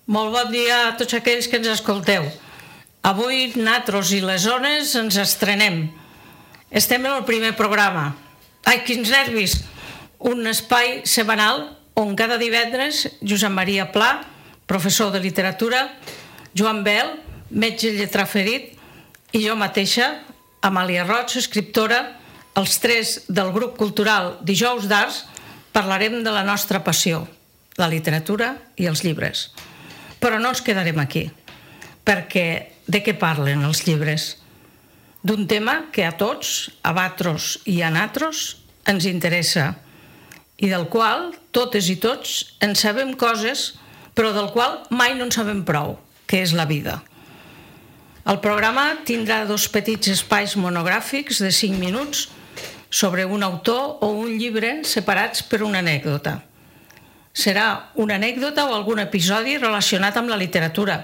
Molt bon dia a tots aquells que ens escolteu. Avui nosaltres i les zones ens estrenem. Estem en el primer programa. Ai, quins nervis! Un espai setmanal on cada divendres Josep Maria Pla, professor de literatura, Joan Bel, metge lletraferit, i jo mateixa, Amàlia Roig, escriptora, els tres del grup cultural Dijous d'Arts, parlarem de la nostra passió, la literatura i els llibres. Però no ens quedarem aquí, perquè de què parlen els llibres? D'un tema que a tots, a vosaltres i a nosaltres, ens interessa i del qual totes i tots en sabem coses, però del qual mai no en sabem prou, que és la vida. El programa tindrà 2 petits espais monogràfics de 5 minuts sobre un autor o un llibre separats per una anècdota. Serà una anècdota o algun episodi relacionat amb la literatura,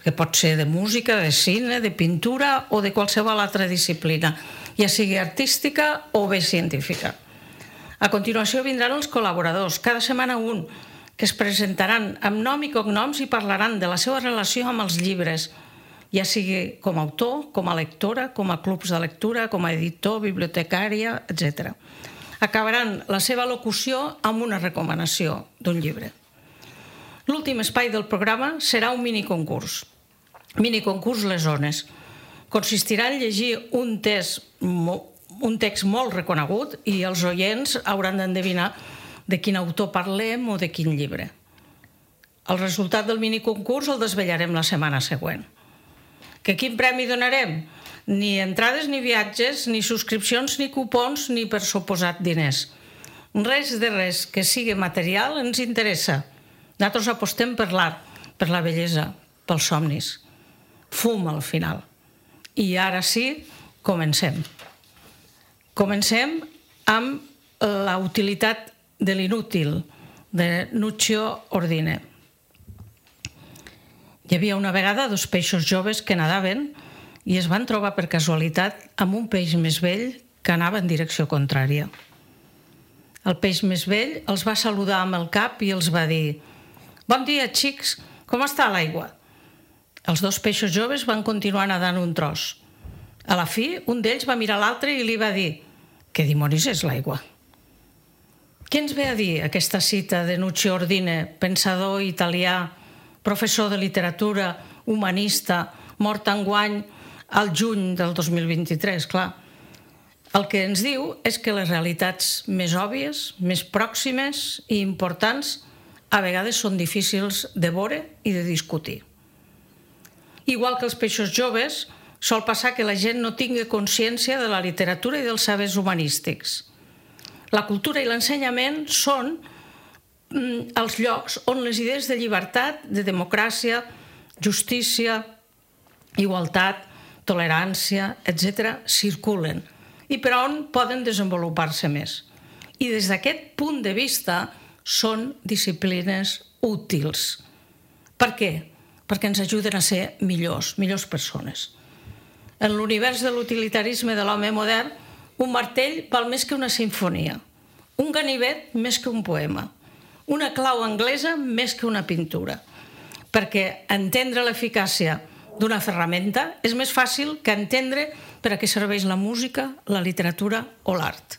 que pot ser de música, de cine, de pintura o de qualsevol altra disciplina, ja sigui artística o bé científica. A continuació vindran els col·laboradors, cada setmana un, que es presentaran amb nom i cognoms i parlaran de la seva relació amb els llibres, ja sigui com a autor, com a lectora, com a clubs de lectura, com a editor, bibliotecària, etc. Acabaran la seva locució amb una recomanació d'un llibre. L'últim espai del programa serà un miniconcurs. Miniconcurs Les Zones. Consistirà en llegir un text molt reconegut i els oients hauran d'endevinar de quin autor parlem o de quin llibre. El resultat del miniconcurs el desvetllarem la setmana següent. Que quin premi donarem? Ni entrades ni viatges, ni subscripcions, ni cupons, ni per suposat diners. Res de res que sigui material ens interessa. Nosaltres apostem per l'art, per la bellesa, pels somnis. Fum al final. I ara sí, comencem. Comencem amb la utilitat de l'inútil, de Nuccio Ordine. Hi havia una vegada 2 peixos joves que nadaven i es van trobar per casualitat amb un peix més vell que anava en direcció contrària. El peix més vell els va saludar amb el cap i els va dir: «Bon dia, xics, com està l'aigua?» Els 2 peixos joves van continuar nedant un tros. A la fi, un d'ells va mirar l'altre i li va dir: «Què dimonis és l'aigua?» Què ens ve a dir aquesta cita de Nuccio Ordine, pensador italià, professor de literatura, humanista, mort enguany al juny del 2023, clar. El que ens diu és que les realitats més òbvies, més pròximes i importants a vegades són difícils de veure i de discutir. Igual que els peixos joves, sol passar que la gent no tingui consciència de la literatura i dels sabers humanístics. La cultura i l'ensenyament són els llocs on les idees de llibertat, de democràcia, justícia, igualtat, tolerància, etc., circulen i per on poden desenvolupar-se més. I des d'aquest punt de vista són disciplines útils. Per què? Perquè ens ajuden a ser millors persones. En l'univers de l'utilitarisme de l'home modern, un martell val més que una simfonia, un ganivet més que un poema, una clau anglesa més que una pintura, perquè entendre l'eficàcia d'una ferramenta és més fàcil que entendre per a què serveix la música, la literatura o l'art.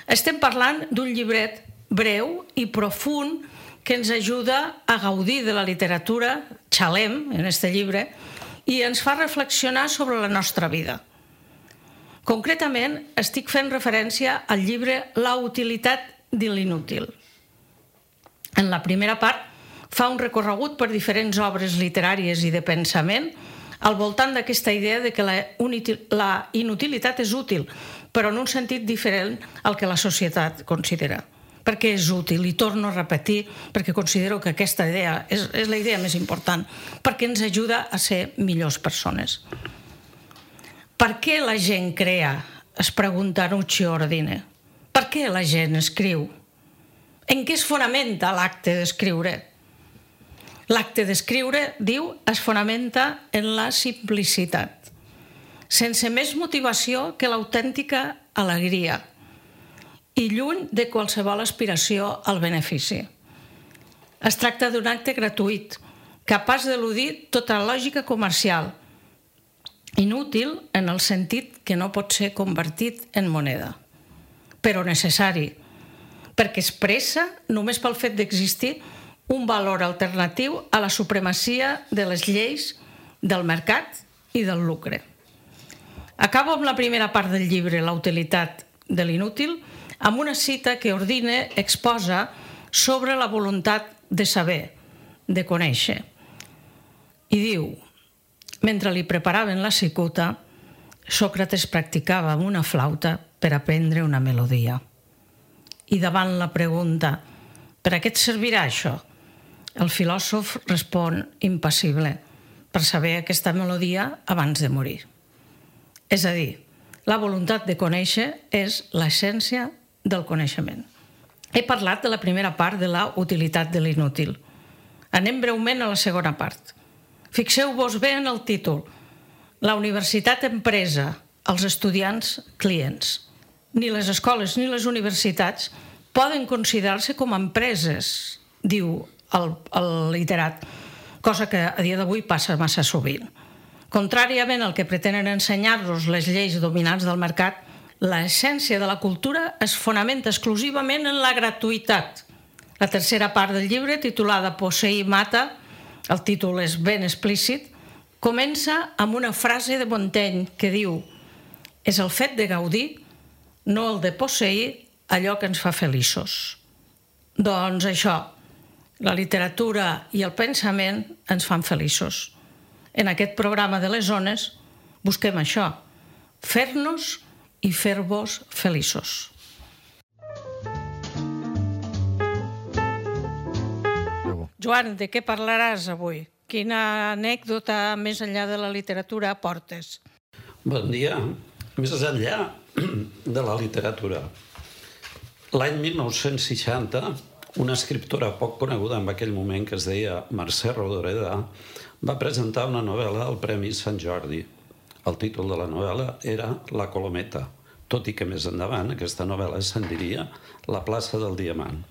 Estem parlant d'un llibret breu i profund que ens ajuda a gaudir de la literatura, xalem en aquest llibre, i ens fa reflexionar sobre la nostra vida. Concretament, estic fent referència al llibre La utilitat de l'inútil. En la primera part, fa un recorregut per diferents obres literàries i de pensament al voltant d'aquesta idea de que la inutilitat és útil, però en un sentit diferent al que la societat considera. Perquè és útil, i torno a repetir, perquè considero que aquesta idea és la idea més important, perquè ens ajuda a ser millors persones. Per què la gent crea? Es pregunta Nuccio Ordine. Per què la gent escriu? En què es fonamenta l'acte d'escriure? L'acte d'escriure, diu, es fonamenta en la simplicitat, sense més motivació que l'autèntica alegria, i lluny de qualsevol aspiració al benefici. Es tracta d'un acte gratuït, capaç d'eludir tota lògica comercial, inútil en el sentit que no pot ser convertit en moneda, però necessari, perquè expressa, només pel fet d'existir, un valor alternatiu a la supremacia de les lleis, del mercat i del lucre. Acabo amb la primera part del llibre, La utilitat de l'inútil, amb una cita que Ordine exposa sobre la voluntat de saber, de conèixer. I diu: mentre li preparaven la cicuta, Sòcrates practicava amb una flauta per aprendre una melodia. I davant la pregunta «per a què et servirà això?», el filòsof respon impassible: per saber aquesta melodia abans de morir. És a dir, la voluntat de conèixer és l'essència del coneixement. He parlat de la primera part de la utilitat de l'inútil. Anem breument a la segona part. Fixeu-vos bé en el títol. La universitat empresa, els estudiants clients. Ni les escoles ni les universitats poden considerar-se com a empreses, diu el literat, cosa que a dia d'avui passa massa sovint. Contràriament al que pretenen ensenyar-nos les lleis dominants del mercat, l'essència de la cultura es fonamenta exclusivament en la gratuïtat. La tercera part del llibre, titulada Posseir mata, el títol és ben explícit, comença amb una frase de Montaigne que diu: és el fet de gaudir, no el de posseir, allò que ens fa feliços. Doncs això, la literatura i el pensament ens fan feliços. En aquest programa de les zones busquem això, fer-nos i fer-vos feliços. Joan, de què parlaràs avui? Quina anècdota més enllà de la literatura aportes? Bon dia. Més enllà de la literatura. L'any 1960, una escriptora poc coneguda en aquell moment que es deia Mercè Rodoreda va presentar una novel·la al Premi Sant Jordi. El títol de la novel·la era La Colometa, tot i que més endavant aquesta novel·la se'n diria La plaça del Diamant.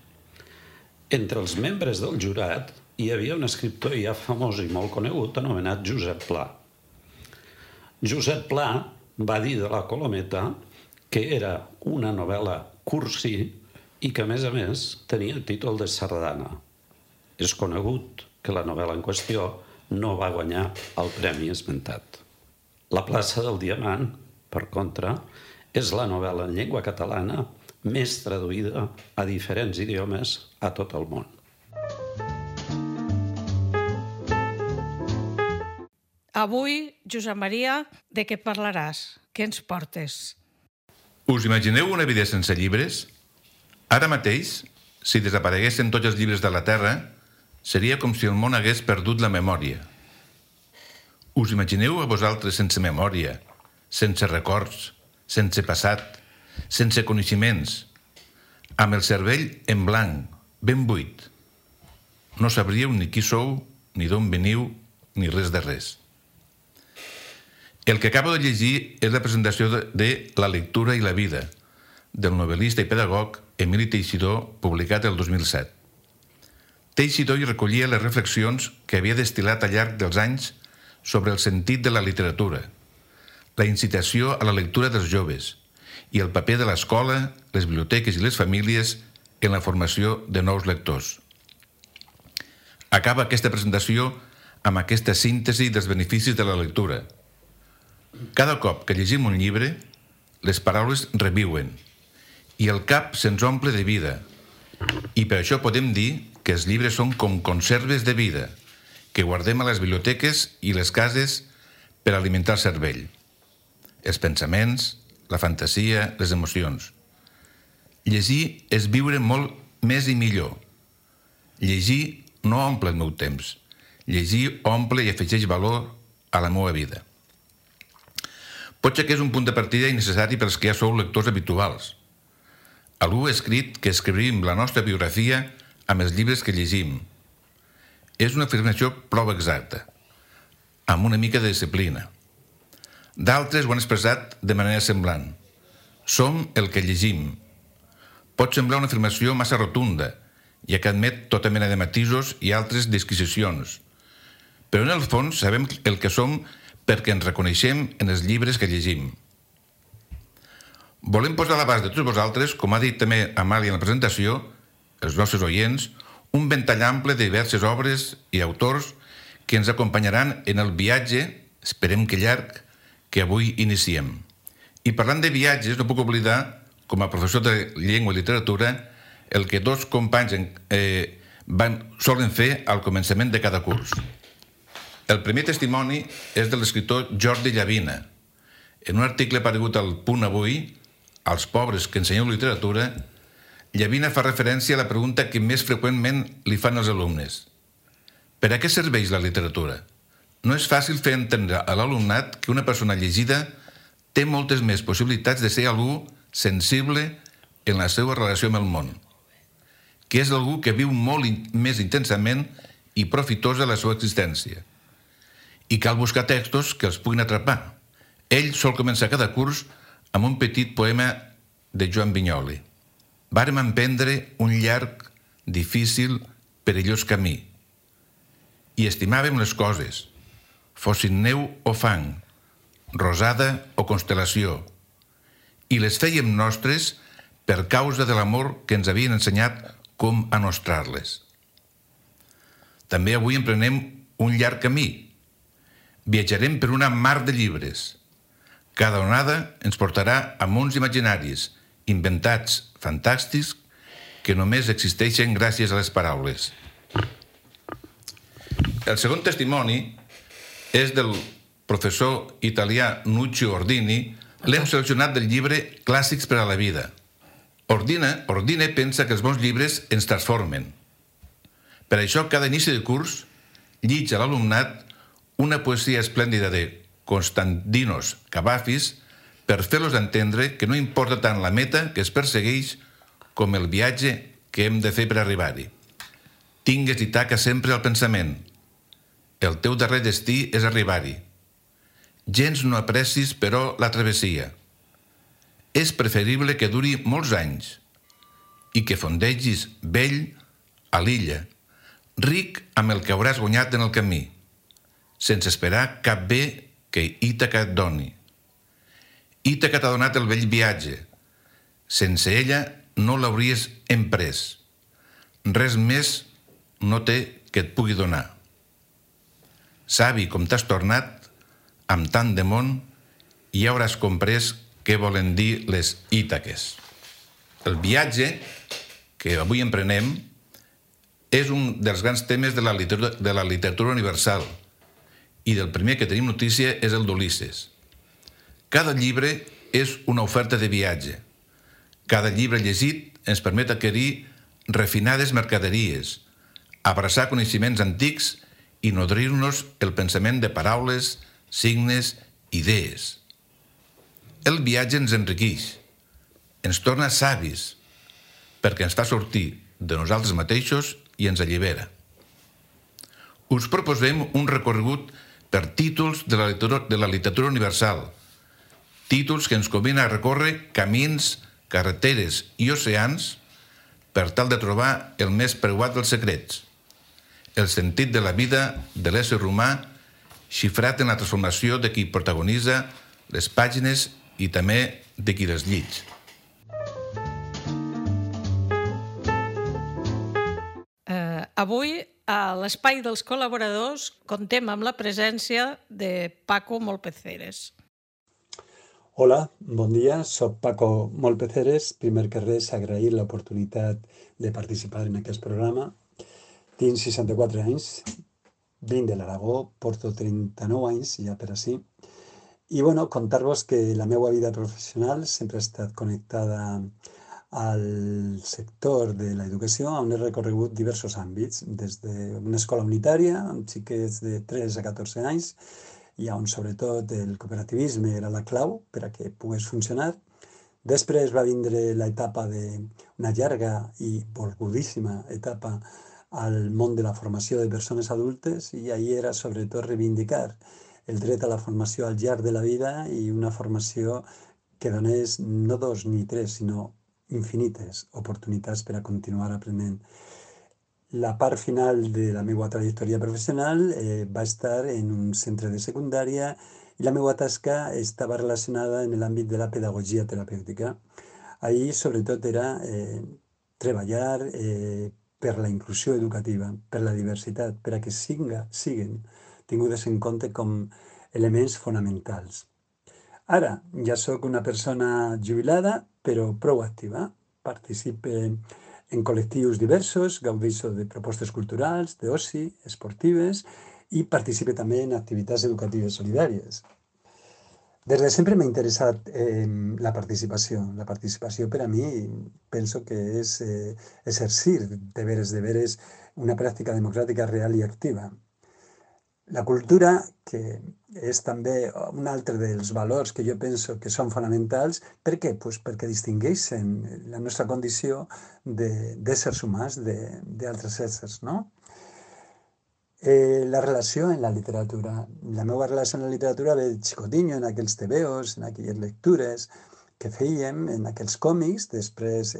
Entre els membres del jurat hi havia un escriptor ja famós i molt conegut anomenat Josep Pla. Josep Pla va dir de La Colometa que era una novel·la cursi i que, a més, tenia el títol de sardana. És conegut que la novel·la en qüestió no va guanyar el premi esmentat. La plaça del Diamant, per contra, és la novel·la en llengua catalana més traduïda a diferents idiomes a tot el món. Avui, Josep Maria, de què parlaràs? Què ens portes? Us imagineu una vida sense llibres? Ara mateix, si desapareguessin tots els llibres de la Terra, seria com si el món hagués perdut la memòria. Us imagineu a vosaltres sense memòria, sense records, sense passat, sense coneixements, amb el cervell en blanc, ben buit. No sabríeu ni qui sou, ni d'on veniu, ni res de res. El que acabo de llegir és la presentació de La lectura i la vida, del novel·lista i pedagog Emili Teixidor, publicat el 2007. Teixidor hi recollia les reflexions que havia destil·lat al llarg dels anys sobre el sentit de la literatura, la incitació a la lectura dels joves i el paper de l'escola, les biblioteques i les famílies en la formació de nous lectors. Acaba aquesta presentació amb aquesta síntesi dels beneficis de la lectura. Cada cop que llegim un llibre, les paraules reviuen i el cap se'ns omple de vida. I per això podem dir que els llibres són com conserves de vida, que guardem a les biblioteques i les cases per alimentar el cervell. Els pensaments, la fantasia, les emocions. Llegir és viure molt més i millor. Llegir no omple el meu temps. Llegir omple i afegeix valor a la meva vida. Potser que és un punt de partida innecessari pels que ja sou lectors habituals. Algú ha escrit que escrivim la nostra biografia amb els llibres que llegim. És una afirmació prou exacta, amb una mica de disciplina. D'altres ho han expressat de manera semblant. Som el que llegim. Pot semblar una afirmació massa rotunda, ja que admet tota mena de matisos i altres disquisicions, però en el fons sabem el que som perquè ens reconeixem en els llibres que llegim. Volem posar a l'abast de tots vosaltres, com ha dit també Amàlia en la presentació, els nostres oients, un ventall ample de diverses obres i autors que ens acompanyaran en el viatge, esperem que llarg, que avui iniciem. I parlant de viatges, no puc oblidar, com a professor de llengua i literatura, el que dos companys solen fer al començament de cada curs. El primer testimoni és de l'escriptor Jordi Llavina. En un article aparegut al Punt Avui, als pobres que ensenyeu literatura, Llavina fa referència a la pregunta que més freqüentment li fan els alumnes. Per a què serveix la literatura? No és fàcil fer entendre a l'alumnat que una persona llegida té moltes més possibilitats de ser algú sensible en la seva relació amb el món, que és algú que viu molt més intensament i profitosa la seva existència. I cal buscar textos que els puguin atrapar. Ell sol començar cada curs amb un petit poema de Joan Vinyoli. Vàrem emprendre un llarg, difícil, perillós camí. I estimàvem les coses, fossin neu o fang, rosada o constel·lació, i les fèiem nostres per causa de l'amor que ens havien ensenyat com a nostrar-les. També avui emprenem un llarg camí. Viatjarem per una mar de llibres. Cada onada ens portarà a mons imaginaris, inventats, fantàstics, que només existeixen gràcies a les paraules. El segon testimoni és del professor italià Nuccio Ordini. L'hem seleccionat del llibre Clàssics per a la vida. Ordine pensa que els bons llibres ens transformen. Per això, cada inici de curs, llig a l'alumnat una poesia esplèndida de Konstantinos Kavafis per fer-los entendre que no importa tant la meta que es persegueix com el viatge que hem de fer per arribar-hi. Tingues i taca sempre el pensament. El teu darrer destí és arribar-hi. Gens no aprecis, però, la travessia. És preferible que duri molts anys i que fondegis vell a l'illa, ric amb el que hauràs guanyat en el camí, sense esperar cap bé que Ítaca et doni. Ítaca t'ha donat el vell viatge. Sense ella no l'hauries emprès. Res més no té que et pugui donar. Savi com t'has tornat, amb tant de món, ja hauràs comprès què volen dir les Ítaques. El viatge que avui emprenem és un dels grans temes de la literatura universal i del primer que tenim notícia és el d'Ulisses. Cada llibre és una oferta de viatge. Cada llibre llegit ens permet adquirir refinades mercaderies, abraçar coneixements antics i nodrir-nos el pensament de paraules, signes, idees. El viatge ens enriqueix, ens torna savis, perquè ens fa sortir de nosaltres mateixos i ens allibera. Us proposem un recorregut per títols de la literatura universal, títols que ens convenen a recórrer camins, carreteres i oceans per tal de trobar el més preuat dels secrets, el sentit de la vida de l'ésser humà xifrat en la transformació de qui protagonitza les pàgines i també de qui les llig. Avui, a l'Espai dels Col·laboradors, contem amb la presència de Paco Molpeceres. Hola, bon dia, soc Paco Molpeceres. Primer que res, agrair l'oportunitat de participar en aquest programa. Tinc 64 anys, vinc de l'Aragó, porto 39 anys ja per ací. I bueno, contar-vos que la meva vida professional sempre ha estat connectada al sector de l'educació, on he recorregut diversos àmbits, des d'una escola unitària, amb xiquets de 3 a 14 anys, i on sobretot el cooperativisme era la clau per a que pogués funcionar. Després va vindre l'etapa d'una llarga i volgudíssima etapa al món de la formació de persones adultes, i ahir era sobretot reivindicar el dret a la formació al llarg de la vida i una formació que donés no 2 ni 3, sinó infinites oportunitats per a continuar aprenent. La part final de la meva trajectòria professional va estar en un centre de secundària i la meva tasca estava relacionada en l'àmbit de la pedagogia terapèutica. Ahir, sobretot, era treballar per la inclusió educativa, per la diversitat, per a que siguen tingudes en compte com elements fonamentals. Ara, ja sóc una persona jubilada, però prou activa. Participe en col·lectius diversos, gaudeixo de propostes culturals, d'oci, esportives i participe també en activitats educatives solidàries. Des de sempre m'ha interessat la participació. La participació per a mi penso que és exercir de veres una pràctica democràtica real i activa. La cultura, que és també un altre dels valors que jo penso que són fonamentals, per què? Pues perquè distingueixen la nostra condició d'éssers humans d'altres éssers, no? La relació en la literatura. La meva relació en la literatura ve de xicotinho, en aquells tebeos, en aquelles lectures que fèiem, en aquells còmics. Després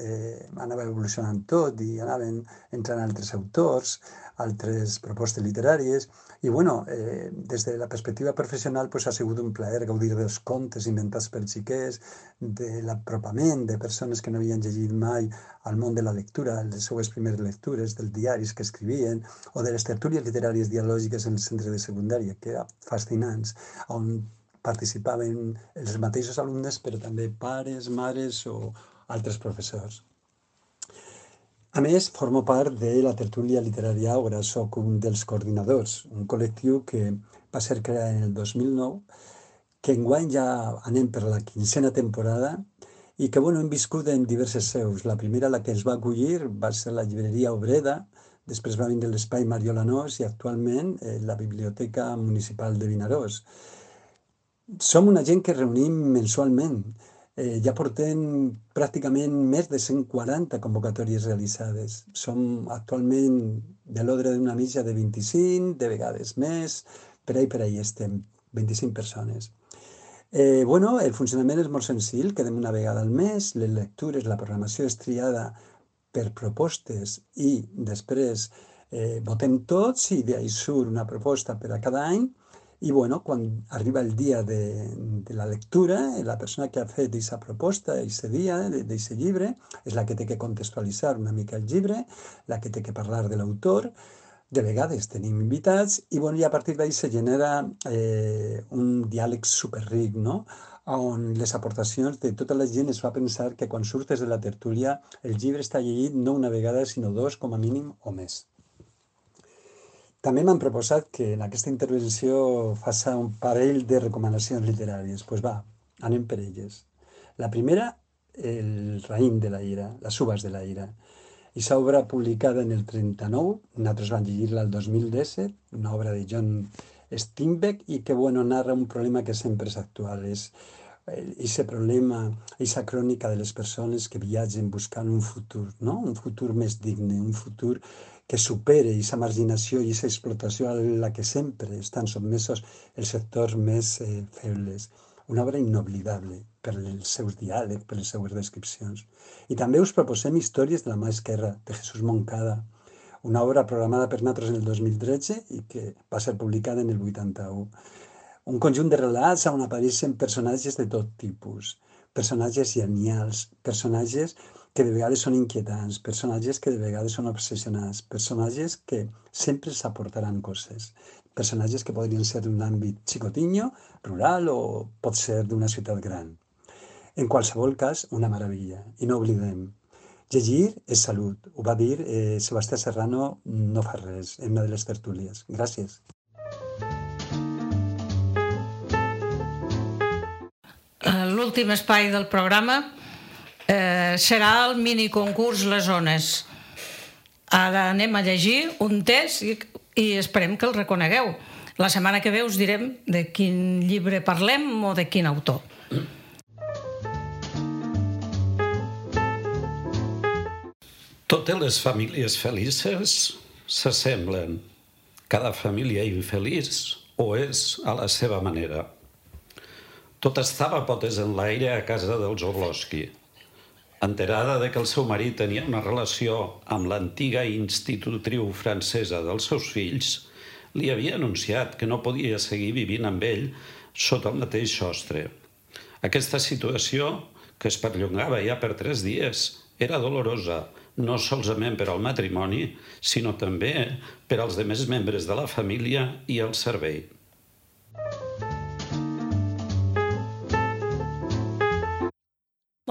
anava evolucionant tot i anaven entrant altres autors, altres propostes literàries. I bueno, des de la perspectiva professional ha sigut un plaer gaudir dels contes inventats per xiquets, de l'apropament de persones que no havien llegit mai al món de la lectura, les seues primeres lectures, dels diaris que escrivien, o de les tertúlies literàries dialògiques en el centre de secundària, que eren fascinants, on participaven els mateixos alumnes, però també pares, mares o altres professors. A més, formo part de la tertúlia literària Àgora, soc un dels coordinadors, un col·lectiu que va ser creat en el 2009, que enguany ja anem per la 15a temporada i que hem viscut en diverses seus. La primera, la que ens va acollir, va ser la llibreria Obreda, després va vindre l'espai Mariola Nos i actualment la Biblioteca Municipal de Vinaròs. Som una gent que reunim mensualment. Ja portem pràcticament més de 140 convocatòries realitzades. Som actualment de l'ordre d'una mitja de 25, de vegades més, per ahí estem, 25 persones. El funcionament és molt senzill, quedem una vegada al mes, les lectures, la programació és triada per propostes i després votem tots i d'ahí surt una proposta per a cada any. I quan arriba el dia de la lectura, la persona que ha fet aquesta proposta, aquest dia, d'aquest llibre, és la que té que contextualitzar una mica el llibre, la que té que parlar de l'autor. De vegades tenim invitats i a partir d'ahí se genera un diàleg superric, no? On les aportacions de tota la gent es fa pensar que quan surtes de la tertúlia el llibre està llegit no una vegada, sinó dos, com a mínim, o més. També m'han proposat que en aquesta intervenció faci un parell de recomanacions literàries. Doncs va, anem per elles. La primera, El raïm de la ira, Les uvas de la ira. Aquesta obra publicada en el 39, nosaltres vam llegir-la el 2017, una obra de John Steinbeck i que narra un problema que sempre és actual. És aquest problema, aquesta crònica de les persones que viatgen buscant un futur, no? Un futur més digne, un futur que supere aquesta marginació i aquesta explotació a la que sempre estan sotmesos els sectors més febles. Una obra inoblidable per els seus diàlegs, per les seues descripcions. I també us proposem Històries de la mà esquerra, de Jesús Moncada, una obra programada per nosaltres en el 2013 i que va ser publicada en el 81. Un conjunt de relats on apareixen personatges de tot tipus, personatges genials, personatges que de vegades són inquietants, personatges que de vegades són obsessionats, personatges que sempre s'aportaran coses, personatges que podrien ser d'un àmbit xicotinho, rural o pot ser d'una ciutat gran. En qualsevol cas, una meravella. I no oblidem, llegir és salut. Ho va dir Sebastià Serrano no fa res, en una de les tertúlies. Gràcies. L'últim espai del programa serà el miniconcurs Les Ones. Ara anem a llegir un text i esperem que el reconegueu. La setmana que ve us direm de quin llibre parlem o de quin autor. Totes les famílies felices s'assemblen. Cada família infeliç ho és a la seva manera. Tot estava potes en l'aire a casa dels Orlowski. Enterada de que el seu marit tenia una relació amb l'antiga institutriu francesa dels seus fills, li havia anunciat que no podia seguir vivint amb ell sota el mateix sostre. Aquesta situació, que es perllongava ja per 3 dies, era dolorosa, no solament per al matrimoni, sinó també per als demés membres de la família i el servei.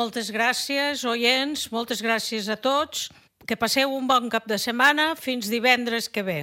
Moltes gràcies, oients, moltes gràcies a tots. Que passeu un bon cap de setmana. Fins divendres que ve.